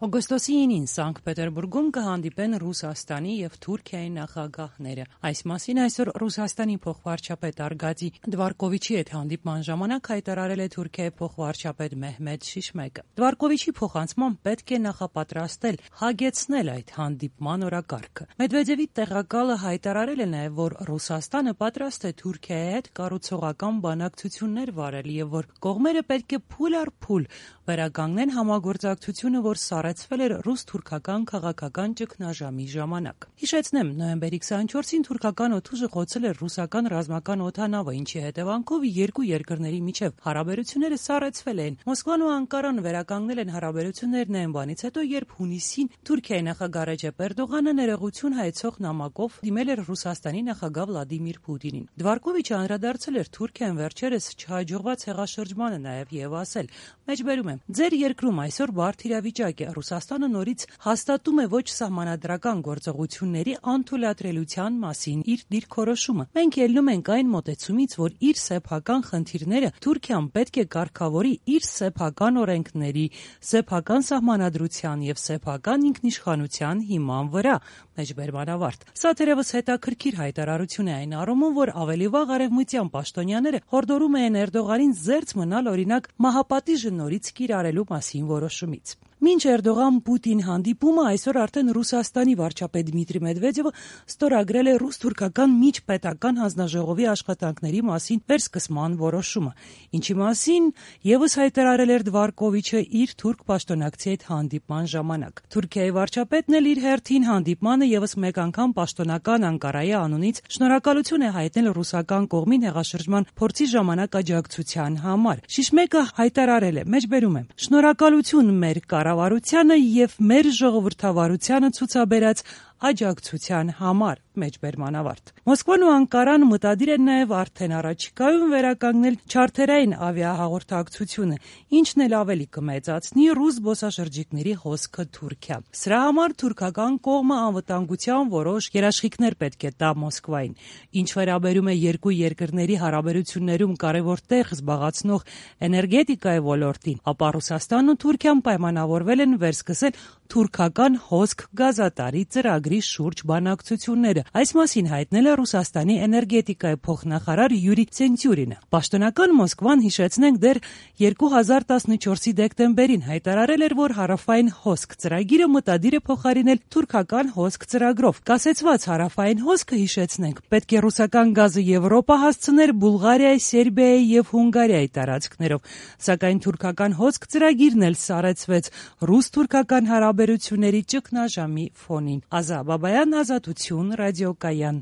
Օգոստոսի 9-ին Սանկտ Պետերբուրգում կհանդիպեն Ռուսաստանի եւ Թուրքիայի նախագահները։ Այս մասին այսօր Ռուսաստանի փոխվարչապետ Արգադի Դվարկովիչի հետ հանդիպման ժամանակ հայտարարել է Թուրքիայի փոխվարչապետ Մեհմեդ Շիշմեկը։ Դվարկովիչի փոխանցմամբ պետք է նախապատրաստել, հագեցնել այդ հանդիպման օրակարգը։ Մեդվեդևի տեղակալը հայտարարել է նաեւ, որ Ռուսաստանը պատրաստ է Թուրքիայի հետ կառուցողական բանակցություններ վարել եւ որ կողմերը պետք է փուլ առ փուլ վերականգնեն համագործակցությունը, որ սառեցվել էր ռուս-թուրքական քաղաքական ճգնաժամի ժամանակ։ Հիշեցնեմ, նոյեմբերի 24-ին թուրքական օդուժը խոցել էր ռուսական ռազմական օդանավը, ինչի հետևանքով երկու երկրների միջև հարաբերությունները սառեցվել են։ Մոսկվան ու Անկարան վերականգնել են հարաբերություններն այն բանից հետո, երբ հունիսին Թուրքիայի նախագահ Ռեջեփ Էրդողանը ներողություն հայցող նամակով դիմել էր Ռուսաստանի նախագահ Վլադիմիր Պուտինին։ Դվարկովիչը անդրադարձել էր Թուրքիան վերջերս չհաջողված հեղաշրջմանը նաև եւ ասել. «Մեջբերում եմ, ձեր երկրում այսօր բարդ իրավիճակ է, Ռուսաստանը նորից հաստատում է ոչ սահմանադրական գործողությունների անթույլատրելիության մասին իր դիրքորոշումը։ Մենք ելնում ենք այն մոտեցումից, որ իր սեփական խնդիրները Թուրքիան պետք է կարգավորի իր սեփական օրենքների, սեփական սահմանադրության եւ սեփական ինքնիշխանության հիման վրա»։ Մեջբերման ավարտ։ Սա թերևս հետաքրքիր հայտարարություն է այն առումով, որ ավելի վաղ արևմտյան պաշտոնյաները հորդորում էին Էրդողանին զերծ մնալ օրինակ մահապատիժը նորից կիրառելու մասին որոշումից։ Մինչ Էրդողան-Պուտին հանդիպումը այսօր արդեն Ռուսաստանի վարչապետ Դմիտրի Մեդվեդևը ստորագրել է ռուս-թուրքական միջպետական հանձնաժողովի աշխատանքների մասին վերսկսման որոշումը, ինչի մասին եւս հայտարարել էր Դվարկովիչը իր թուրք պաշտոնակցի հետ հանդիպման ժամանակ։ Թուրքիայի վարչապետն էլ իր հերթին հանդիպմանը եւս մեկ անգամ պաշտոնական Անկարայի անունից շնորհակալություն է հայտնել ռուսական կողմին հեղաշրջման փորձի ժամանակ աջակցության համար։ Շիշմեկը հայտարարել է. «Մեջբերում եմ, շնորհակալություն մեր կառավարությանը եւ մեր ժողովրդավարությանը ցուցաբերած աջակցության համար»։ Մեջբերման ավարտ։ Մոսկվան ու Անկարան մտադիր են նաև արդեն առաջիկայում վերականգնել չարթերային ավիահաղորդակցությունը, ինչն էլ ավելի կմեծացնի ռուս զբոսաշրջիկների հոսքը Թուրքիա։ Սրա համար թուրքական կողմը անվտանգության որոշ երաշխիքներ պետք է տա Մոսկվային։ Ինչ վերաբերում է երկու երկրների հարաբերություններում կարևոր տեղ զբաղեցնող էներգետիկայի ոլորտին, ապա Ռուսաստանն ու Թուրքիան պայմանավորվել են վերսկսել թուրքական հոսք գազատարի ծրագրի շուրջ բանակցությունները։ Այս մասին հայտնել է Ռուսաստանի էներգետիկայի փոխնախարար Յուրի Ցենտյուրինը։ Պաշտոնական Մոսկվան, հիշեցնենք, դեռ 2014-ի դեկտեմբերին հայտարարել էր, որ հարավային հոսք ծրագիրը մտադիր է փոխարինել թուրքական հոսք ծրագրով։ Կասեցված հարավային հոսքը, հիշեցնենք, պետք է ռուսական գազը Եվրոպա հասցներ Բուլղարիայի, Սերբիայի եւ Հունգարիայի տարածքներով, սակայն թուրքական հոսք ծրագիրն էլ սառեցվեց ռուս-թուրքական հարաբերությունների ճգնաժամի ֆոնին։ Ազա Բաբայան, Ազատություն, ռադիոկայան։